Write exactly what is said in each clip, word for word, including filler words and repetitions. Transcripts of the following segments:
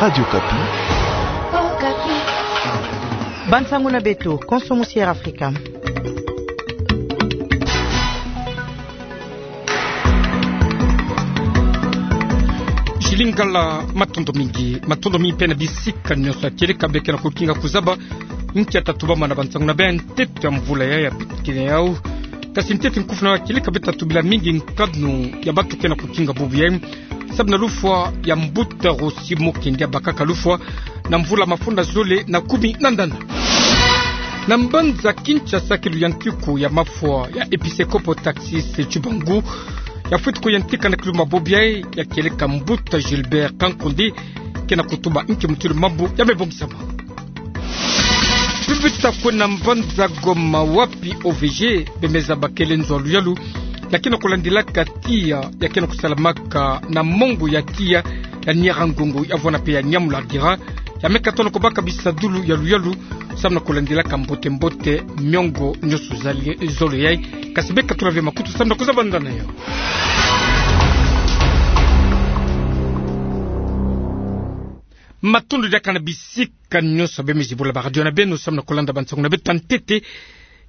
Radio Okapi. Bansango na beto, konso musi Air Afrika. Jili Ngala, matondo mingi, matondo mingi mpe na bisika nyonso ya kieleka beke na kokinga kuzaba nkia tatubama na bansango na beno. Ntete ya mvula ya, ya piti kene yau. Kasi ntete nkufi na ya kieleka beto tatubila mingi nkanu ya bantu ke na kokinga bubu yai. Samu na lufwa ya mbuta Rossy Mukendi, abakaka lufwa na mvula mafunda zole na kumi na ndanda. Na mbanza Kinshasa, kiluyantiku ya mafwa ya episekopo Tarsise Tshibangu yafweti kuyantika na kilumbu bubu yai, ya kieleka mbuta Gilbert Kankonde ke na kutuba nki mutindu mambu ya me bongisama. Pibita kwe na mbanza Goma, wapi O V G bemeza bakele nzo ya luyalu ya ke na kulandilaka tiya ya ke na kusalamaka na mongo ya tiya ya Nyiragongo, ya vwanda mpe ya Nyamulagira, ya me katono kubaka bisadulu ya luyalu samu na kulandilaka mbote-mbote miongo nyonso zali-, zole yai. Kasi beka tula ve makutu samu na kuzaba ndanda yau. Matondo diaka na bisika nyonso bemezi bula ba radio na beno samu na kulanda bansango na beto ya ntete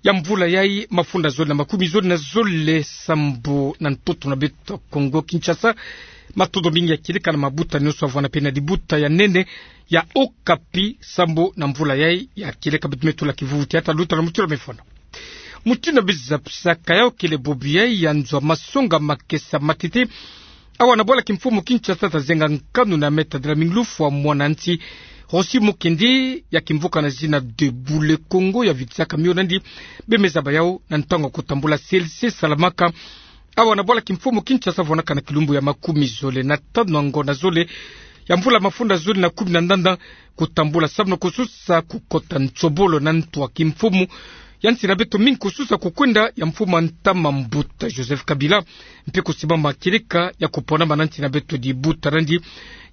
ya mvula yai, mafunda zole na makumi zole na zole sambu na ntoto na beto Kongo Kinshasa. Matondo mingi ya kieleka na mabuta nyonso ya vwanda mpe na dibuta ya nene ya Okapi sambu na mvula yai ya kieleka beto me tula kivuvu tiya ta luta na mutindu mefwana. Mutindu beza pisaka yau, kele bubu yai ya nzo ya masonga makesa matete awa na bwala kimfumu Kinshasa, ta zenga nkanu na me tadila mingi lufwa mwana nsi Rossy Mukendi, ya kimvuka na zina Debout le Congo, ya vitisaka mio nandi. Bemeza bayau na ntangu ya kutambula C L C salamaka awa na bwala kimfumu Kinshasa, vwanaka na kilumbu ya makumi zole na tanu ya ngonda zole ya mvula mafunda zole na kumi na ndanda, kutambula samu na kususa kukota nsobolo na ntu ya kimfumu ya nsi na beto mingi, kususa kukwenda ya mfumu ya ntama mbuta Joseph Kabila, mpe kusimbama kieleka ya kuponama na nsi na beto dibuta nandi.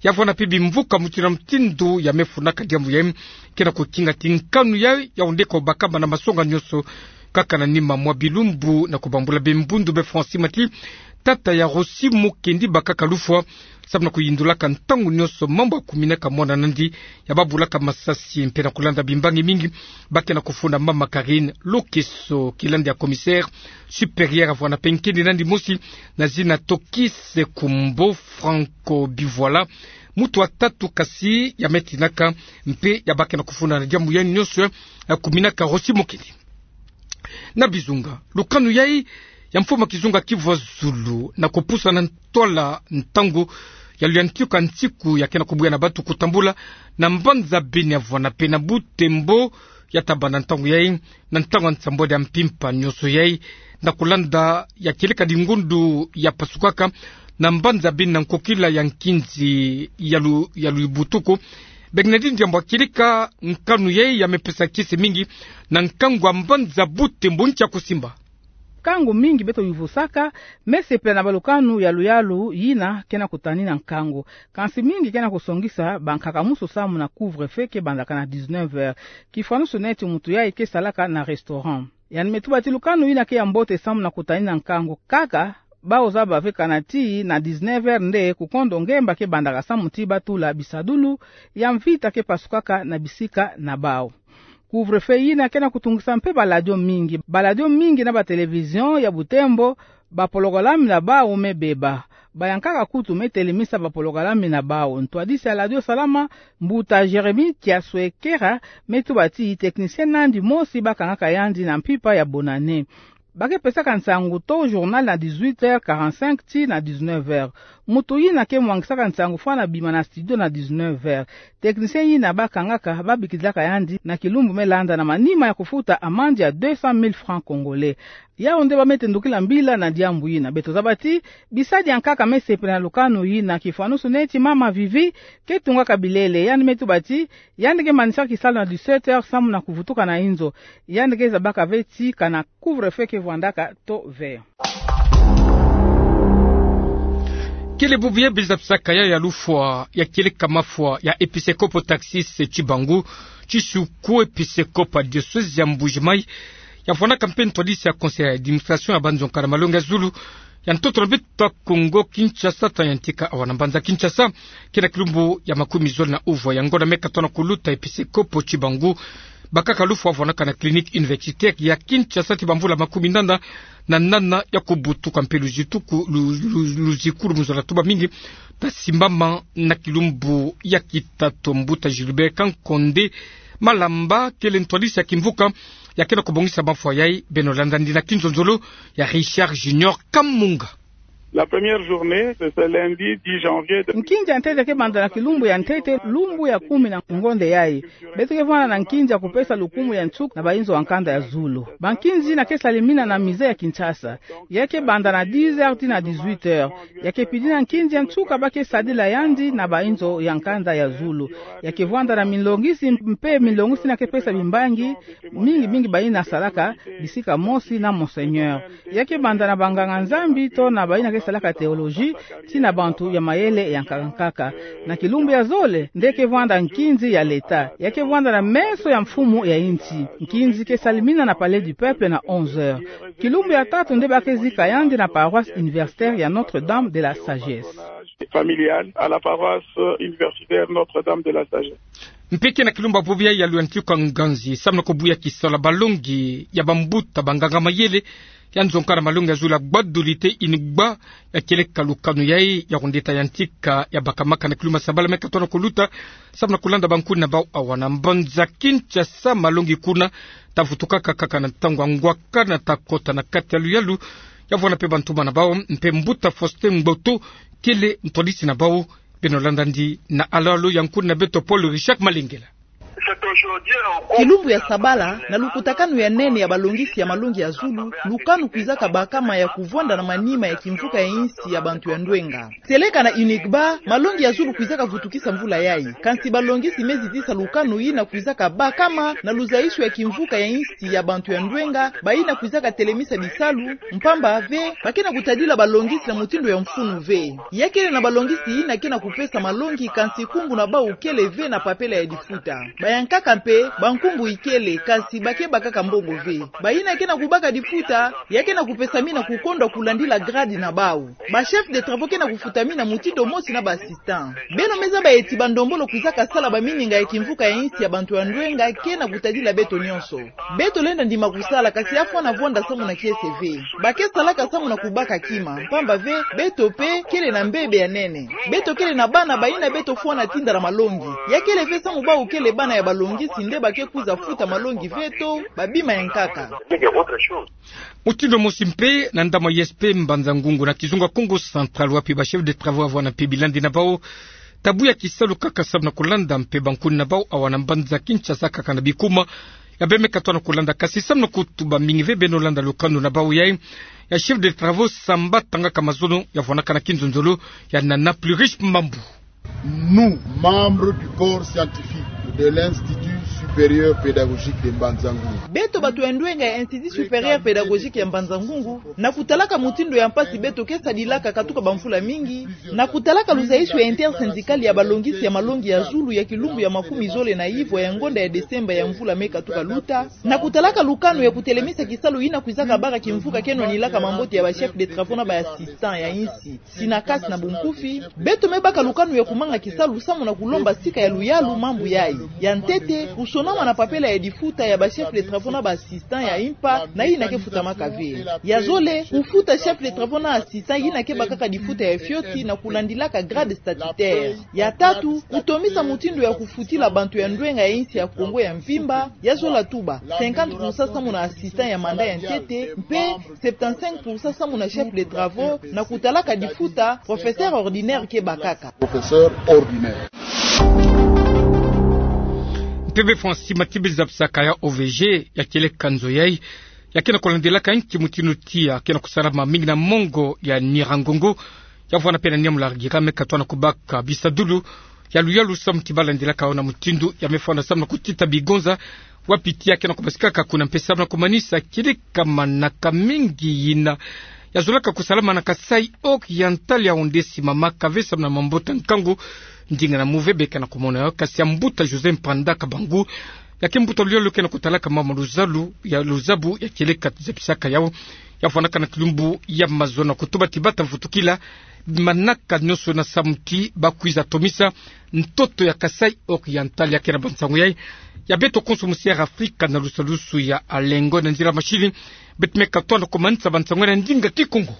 Ya vwanda mpe bimvuka mutindu na mutindu ya me funaka diambu yai, ke na kukinga ti nkanu yai ya onde kubakama na masonga nyonso, kaka na nima mwa bilumbu na kubambula be mbundu be Francis Mati, tata ya Rossy Mukendi, bakaka lufwa samu na kuyindulaka ntangu nyonso mambu ya kuminaka mwana nandi ya babulaka masasi, mpe na kulanda bimbangi mingi ba ke na kufunda mama Karine Lokeso, kilandi ya commissaire supérieur ya vwanda mpe nkendi nandi mosi na zina Tokis Kumbo Franco Bivoila, muntu wa tatu kasi ya me tinaka mpe ya ba ke na kufunda na diambu yai nyonso ya kuminaka Rossy Mukendi. Na bizunga, lukanu yai ya mfumu ya kizunga Kivu ya Zulu na kupusa na ntwala ntangu ya luyantiku ya nsiku ya ke na kubuya na bantu kutambula na mbanza Beni ya vwanda mpe na Butembo, ya tabanda ntangu yai na ntangu ya nsambwadi ya mpimpa nyonso yai, na kulanda ya kieleka dingundu ya pasukaka na mbanza Beni na nkokila ya nkinzi ya lu-, ya lubutuku. Beke na diambu ya kieleka, nkanu yai ya me pesa kiese mingi na nkangu ya mbanza Butembo. Nkia kusimba? Nkangu mingi beto yuvusaka, me sepela na balukanu ya luyalu yina ke na kutanina nkangu. Kansi mingi ke na kusongisa bankaka musu samu na couvre-feu ke bandaka na dix-neuf heures. Kifwanusu neti muntu yai ke salaka na restaurant. Yandi me tuba ti lukanu yina ke ya mbote samu na kutanina nkangu. Kaka bawu zaba ve kana ti na dix-neuf heures nde kukondo ngemba ke bandaka samu ti batula bisadulu ya mvita ke pasukaka na bisika na bawu. Couvre-feu yina ke na kutungisa mpe baladio mingi. Baladio mingi na batelevision ya Butembo, bapolokalami na bawu me beba. Bayankaka kutu me telemisa bapolokalami na bawu. Ntwadisi ya ladio Salama, mbuta Jérémie Kiaswekera, me tuba ti technicien nandi mosi ba kangaka yandi na mpimpa ya bonane. Ba ke pesaka nsangu to journal na dix-huit heures quarante-cinq tii na dix-neuf heures. Muntu yina ke mwangisaka nsangu fwana bima na studio na dix-neuf heures. Technicien yina ba kangaka, ba bikidilaka yandi na kilumbu me landa na manima ya kufuta amande ya deux cent mille francs congolais. Yawu nde ba me tendukila mbila na diambu yina. Beto zaba ti bisadi ya nkaka me sepela na lukanu yina. Kifwanusu neti mama Vivi ke tungaka bilele. Yandi me tuba ti yandi ke manisaka kisalu na dix-sept heures samu na kuvutuka na inzo. Yandi ke zabaka ve ti kana couvre-feu ke vwandaka to ve. Kele bubu yai beza pisaka yau ya lufwa ya kieleka mafwa ya episekopo Tarsise Tshibangu, tsi suku episekopo ya diocèse ya Mbuji-Mayi, ya vwanaka mpe ntwadisi ya conseil ya administration ya banzoka na malongi ya zulu, Ya ntoto na beto Kongo Kinshasa, ta yantika awa na mbanza Kinshasa, ke na kilumbu ya makumi zole na uvwa ya ngonda me katono kuluta, episkopo Tshibangu bakaka lufwa vwanaka na clinique universitaire ya Kinshasa ti bamvula makumi nana na nana ya kubutuka mpe luziku, lu-, lu-, luziku lu muzole tuba mingi, ta simbama na kilumbu ya kitatu. Mbuta Gilbert Kankonde Malamba, kele ntwadisi ya kimvuka ya ke na kubongisa mafwa yai, beno landa ndi na kinzonzolo ya Richard Junior Kamunga. La première journée, c'est ce lundi dix janvier de... Nkinzi ya ntete ke banda na kilumbu ya ntete, lumbu ya kumi na ngonda yai. Beto ke vwanda na nkinzi ya kupesa lukumu ya nsuka na bainzo ya nkanda ya zulu. Bankinzi yina ke salimina na musée ya Kinshasa. Ya ke banda na dix heures tii na dix-huit heures. Ya ke pidina nkinzi ya nsuka ba ke sadila yandi na bainzo ya nkanda ya zulu. Ya ke vwanda na minlongisi mpe minlongisi yina ke pesa bimbangi mingi mingi bayina salaka bisika mosi na Monseigneur. Ya ke banda na banganga-Nzambi to na bayina ke salaka théologie, tii na bantu ya mayele ya nkaka nkaka. Na kilumbu ya zole nde ke vwanda nkinzi ya leta. Ya ke vwanda na meso ya mfumu ya insi. Nkinzi ke salimina na Palais du Peuple na onze heures. Kilumbu ya tatu nde ba ke zika yandi na paroisse universitaire ya Notre-Dame de la Sagesse. Familiale à la paroisse universitaire Notre-Dame de la Sagesse. Mpe ke na kilumbu ya bobo yai ya luyantika nganzi, samu na kubuya kisalu ya balongi ya bambuta banganga-mayele ya nzonga na malongi ya zulu ya Gbadolite, inigba ya kieleka lukanu yai ya kundeta yantika ya bakamaka na kilumbu ya sabala me katono kuluta, samu na kulanda bankuni na bau awa na mbanza Kinshasa. Malongi kuna ta vutukaka kaka na ntangu ya ngwaka na ta kota na kati ya luyalu ya vwanda mpe bantumba na bau. Mpe mbuta Faustin Ngboto kele ntwadisi na bau. Beno landa ndi na alalo ya nkuni na beto Paul Richard Malengela. Kilumbu ya sabala, na lukutakanu ya nene ya balongisi ya malongi ya zulu, lukanu kwizaka bakama ya kuvwanda na manima ya kimvuka ya insi ya bantu ya ndwenga. Tieleka na inigba, malongi ya zulu kwizaka vutukisa mvula yai. Kansi balongisi me zitisa lukanu yina kwizaka bakama na luzaisu ya kimvuka ya insi ya bantu ya ndwenga, bayina kwizaka telemisa bisalu, mpamba ve ba ke na kutadila balongisi na mutindu ya mfunu ve. Ya kele na balongisi yina ke na kupesa malongi, kansi nkumbu na bau kele ve na papela ya difuta. Bayankaka mpe, bankumbu ikele, kansi ba ke bakaka mbongo ve. Bayina ke na kubaka difuta, ya ke na kupesamina kukondwa kulandila grade na bau. Ba chef de travaux ke na kufutamina mutindu mosi na ba assistant. Beno me zaba eti bandombolo kwizaka sala bamininga ya kimvuka ya insi ya bantu ya ndwenga ke na kutadila beto nyonso. Beto lenda ndima kusala, kansi ya fwana vwanda samu na kiese ve. Ba ke salaka samu na kubaka kima, mpamba ve beto mpe kele na mbebe ya nene. Beto kele na bana bayina beto fwana tinda na malongi. Ya kele ve samu bau kele bana ya balongisi nde ba ke kwiza futa malongi ve to babima ya nkaka. Mutindu mosi mpe, na ndambu ya I S P Mbanza-Ngungu na kizunga Kongo Central, wapi ba chef de travaux ya vwanda mpe bilandi na bau ta buya kisalu kaka samu na kulanda mpe bankuni na bau awa na mbanza Kinshasa kaka na bikuma ya bê me katona kulanda. Kansi samu na kutuba mingi ve, beno landa lukanu na bau yai ya chef de travaux Samba Tangaka Mazono ya vwanaka na kinzonzolo ya Nana Plurish Mambu. Nous, membres du corps scientifique de l'Institut supérieur pédagogique de Mbanza-Ngungu. Beto bantu ya ndwenga ya Institut supérieur pédagogique ya Mbanza-Ngungu, na kutalaka mutindu ya mpasi beto ke sadilaka katuka bamvula mingi, na kutalaka luzaisu ya intersyndical ya balongisi ya malongi ya zulu ya kilumbu ya makumi zole na ivwa ya ngonda ya Desemba ya mvula me katuka luta, na kutalaka lukanu ya kutelemisa kisalu yina kwizaka baka kimvuka ke nwanilaka mambote ya ba chef de travaux na ba assistant ya insi. Sinakasi na bunkufi, beto me baka lukanu ya kumanga kisalu samu na kulomba sika ya luyalu mambu yai. Ya ntete, kusonama na papela ya difuta ya ba chef de travaux na ba assistant ya impa na yina ke futamaka ve. Ya zole, kufuta chef de travaux na assistant yina ke bakaka difuta ya fioti na kulandilaka grade statutaire. Ya tatu, kutomisa mutindu ya kufutila bantu ya ndwenga ya insi ya Kongo ya mvimba, ya zola tuba cinquante pour cent samu na assistant ya mandat ya ntete, mpe septante-cinq pour cent samu na chef de travaux, na kutalaka difuta professeur ordinaire ke bakaka. Professeur ordinaire. Mpeve Francis Matibe zabisaka ya O V G, ya kieleka nzo yai ya ke na kulandilaka nki mutindu tiya ke na kusalama mingi na mongo ya Nyiragongo, ya vwanda mpe na Nyamulagira, me katona kubaka bisadulu ya luyalu samu ti ba landilaka yo na mutindu ya me fwana samu na kutita bigonza, wapi tiya ke na kubasikaka kuna mpe samu na kumanisa kieleka manaka mingi yina ya zolaka kusalama na Kasaï Oriental, ya onde simamaka ve samu na mambote ya nkangu. Ndinga na mu ve beka na kumona yo, kansi ya mbuta José Mpanda Kabangu, ya ke mbuta luyalu ke na kutalaka mambu luzalu ya luzabu ya kieleka zabisaka yau, Ya fwanakana kilumbu ya mazono, kutuba ti bata mvutukila manaka nyonso na samu ti bakwiza tomisa ntoto ya Kasaï Oriental. Ya kena bansango yayi ya beto konso mu Sierra Afrika na lusalusu ya Alengo. Na nzila masini beto me katona komanisa bansango yayi na ndinga Kikongo.